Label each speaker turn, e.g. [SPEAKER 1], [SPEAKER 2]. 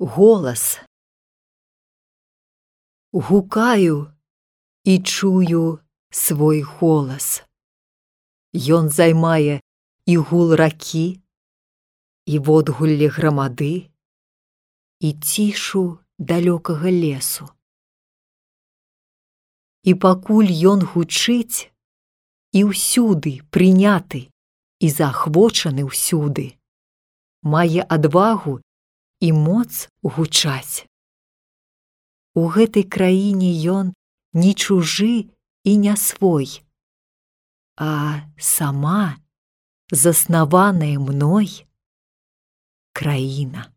[SPEAKER 1] Голас. Гукаю і чую свой голас. Ён займае і гул ракі, і водгулле грамады, і цішу далёкага лесу. І пакуль ён гучыць, і ўсюды прыняты і заахвочаны ўсюды, мае адвагу і моц гучаць. У гэтай краіне ён не чужы і не свой, а сама заснаваная мной краіна.